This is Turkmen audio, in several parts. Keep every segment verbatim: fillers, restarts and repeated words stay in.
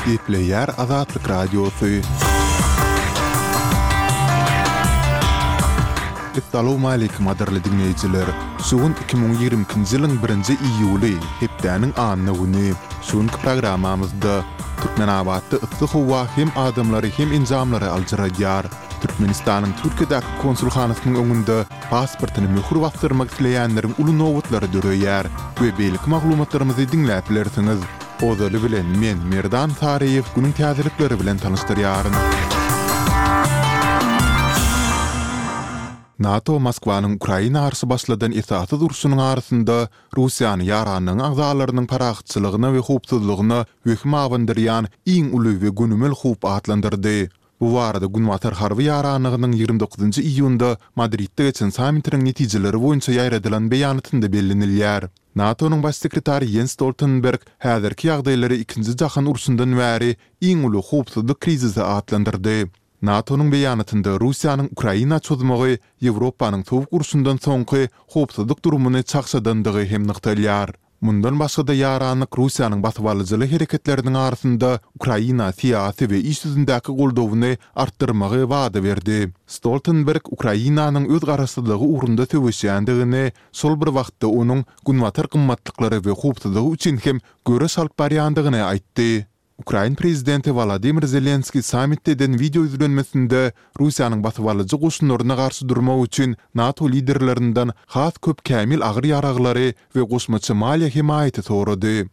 Gepleýär Azatlyk Radiosy. Essalawmaleýkim gadyrly diňleýjiler! Şu gün iki müň ýigrimi ikinji ýylyň birinji iýuly, hepdäniň anna güni. Şu günki programmamyzda Türkmenabatda yssy howa hem adamlary hem enjamlary aljyradýar. Türkmenistanyň Türkiýedäki konsulhanasynyň öňünde pasportyny möhür basdyrmak isleýänleriň uly nobatlary döreýär we beýleki maglumatlarymyzy diňläp bilersiňiz. Ozaly bilen men, Merdan Saryýew günüň täzelikleri bilen tanyşdyrýaryn. NATO Moskwanyň Ukraina garşy başladan esassyz urşunyň arasynda Russiýany ýaranlygyň agzalarynyň parahatçylygyna we howpsuzlygyna wehim abandyrýan iň uly we gönümel howp atlandyrdy. Bu barada Günbatar harby ýaranlygynyň ýigrimi dokuzynjy iýunda Madridde geçen sammitiniň netijeleri boýunça ýaýradylan beýanatynda bellenilýär. NATO-nyň Baş sekretary Ýens Stoltenberg häzirki ýagdaýlary Ikinji jahan urşundan bäri iň uly howpsuzlyk krizisi atlandyrdy. NATO-nyň beýanatynda Russiýanyň Ukraina çozmagy Ýewropanyň Sowuk urşundan soňky howpsuzlyk durumyny çagşadandygy hem nygtalýar. Mundan başga-da ýaranlyk Russiýanyň basybalyjyly hereketleriniň arasynda Ukraina syýasy we iş ýüzündäki goldawyny artdyrmagy wada berdi. Stoltenberg Ukrainanyň öz garaşsyzlygy ugrunda söweşýändigini, şol bir wagtda onuň günbatar gymmatlyklary we howpsuzlygy üçin hem göreş alyp barýandygyny aýtdy. Ukrain prezidenti Wolodymyr Zelenskiý sammitde eden wideo ýüzlenmesinde Russiýanyň basybalyjy goşunlaryna garşy durmak üçin NATO liderlerinden has köp kämil agyr ýaraglary we goşmaça maliýe hemaýaty sorady.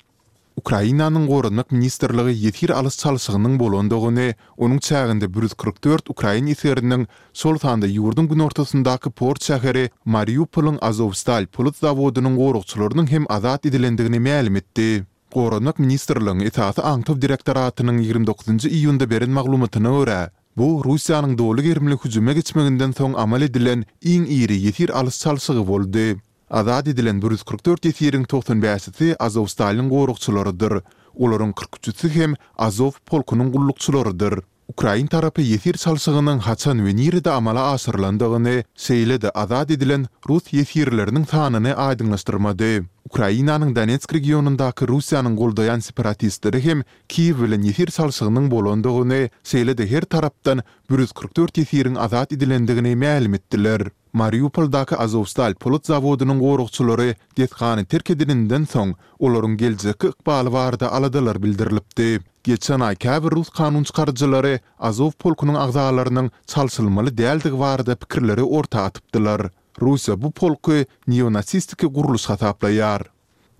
Ukrainanyň Goranmak ministrligi ýesir alyş-çalşygynyň bolandygyny, onuň çäginde bir ýüz kyrk dört ukrain esgeriniň, şol sanda ýurduň günortasyndaky port şäheri Mariupolyň Azowstal polat zawodynyň goragçylarynyň hem azat edilendigini mälim etdi. Goranmak ministrligiň Esasy aňtaw direktoratynyň ýigrimi dokuzynjy iýunda beren maglumatyna görä, bu Russiýanyň doly gerimli hüjüme geçmeginden soň amal edilen iň iri ýesir alyş-çalşygy boldy. Azat edilen bir ýüz kyrk dört ýesiriň togsan bäşisi Azowstalyň goragçylarydyr. Olaryň kyrk üçüsi hem Azow polkunyň gullukçylarydyr. Ukrain tarapy ýesir çalşygynyň haçan we nirede amala aşyrylandygyny, şeýle-de azat edilen rus ýesirleriniň sanyny aýdyňlaşdyrmady. Ukrainanyň Donetsk regionyndaky Russiýanyň goldaýan separatistleri hem Kiýew bilen ýesir çalşygynyň bolandygyny, şeýle-de her tarapdan bir ýüz kyrk dört ýesiriň azat edilendigini mälim etdiler. Mariupoldaky Azowstal polat zawodynyň goragçylary desgany terk edeninden soň, olaryň geljekki ykbaly barada aladalar bildirilipdi. Geçen aý käbir rus kanunçykaryjylary Azow polkunyň agzalarynyň çalşylmaly däldigi barada pikirleri orta atypdylar. Russiýa bu polky neonasistiki gurluş hasaplaýar.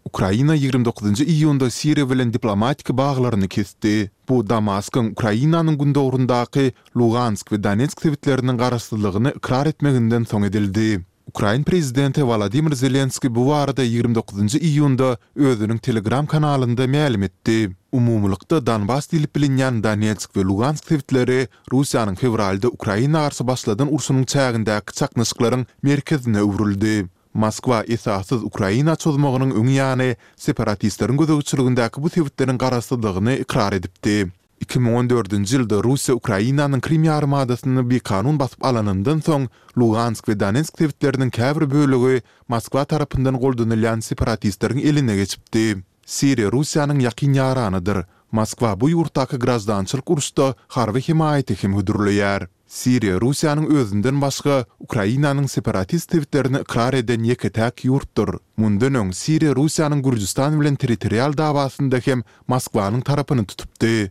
Ukraina ýigrimi dokuzynjy iýunda Siriýa bilen diplomatik baglaryny kesdi. Bu Damaskyň Ukrainanyň gündogaryndaky Lugansk we Donetsk sebitleriniň garaşsyzlygyny ykrar etmeginden soň edildi. Ukrain prezidenti Wolodymyr Zelenskiý bu barada ýigrimi dokuzynjy iýunda özüniň Telegram kanalynda mälim etdi. Umumylykda Donbas diýlip bilinýän Donetsk we Lugansk sebitleri Russiýanyň fewralda Ukraina garşy başladan urşunyň çägindäki çaknyşyklaryň merkezine öwrüldi. Moskwa esassyz Ukraina çozmagynyň öň ýany separatistleriň gözegçiligindäki bu sebitleriň garaşsyzlygyny ykrar edipdi. Iki müň on dördünji ýylda Russiýa Ukrainanyň Krym ýarymadasyny bikanun basyp alanyndan soň, Lugansk we Donetsk sebitleriniň käbir bölegi Moskwa tarapyndan goldanylýan separatistleriň eline geçipdi. Siriýa Russiýanyň ýakyn ýaranydyr. Moskwa bu ýurtdaky graždançylyk uruşda harby hemaýaty hem hödürleýär. Siriýa Russiýanyň özünden başga Ukrainanyň separatist sebitlerini ykrar eden ýeke-täk ýurtdur. Mundan öň Siriýa Russiýanyň Gürjüstan bilen territorial dawasynda hem Moskwanyň tarapyny tutupdy.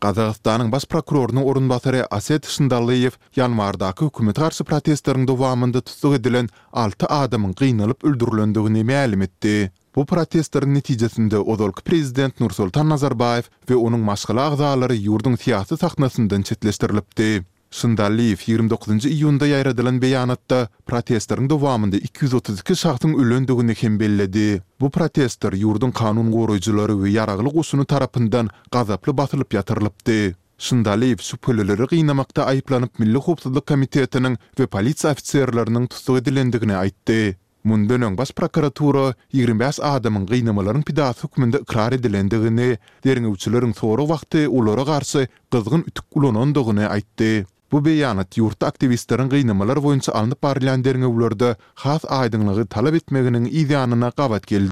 Gazagystanyň baş prokurorynyň orunbasary Aset Şyndalyýew ýanwardaky hökümete garşy protestleriň dowamynda tussag edilen alty adamyň gynalyp öldürilendigini mälim etdi. Bu protestleriň netijesinde ozalky prezident Nursultan Nazarbaýew we onuň maşgala agzalary ýurduň syýasy sahnasyndan çetleşdirilipdi. Şyndalyýew ýigrimi dokuzynjy iýunda ýaýradylan beýanatda protestleriň dowamynda iki ýüz otuz iki şahsyň ölendigini hem belledi. Bu protestler ýurduň kanun goraýjylary we ýaragly goşuny tarapyndan gazaply basylyp ýatyrylypdy. Şyndalyýew şübhelileri gynamakda aýyplanyp Milli howpsuzlyk komitetiniň we polisiýa ofiserleriniň tussag edilendigini aýtdy. Mundan öň Baş prokuratura ýigrimi bäş adamyň gynamalaryň pidasy hökmünde ykrar edilendigini, derňewçileriň sorag wagty olara garşy gyzgyn ütük ulanandygyny aýtdy. Bu beýanat ýurtda aktiwistleriň gynamalar boýunça alnyp barylýan derňewlerde has aýdyňlygy talap etmeginiň yzýanyna gabat geldi.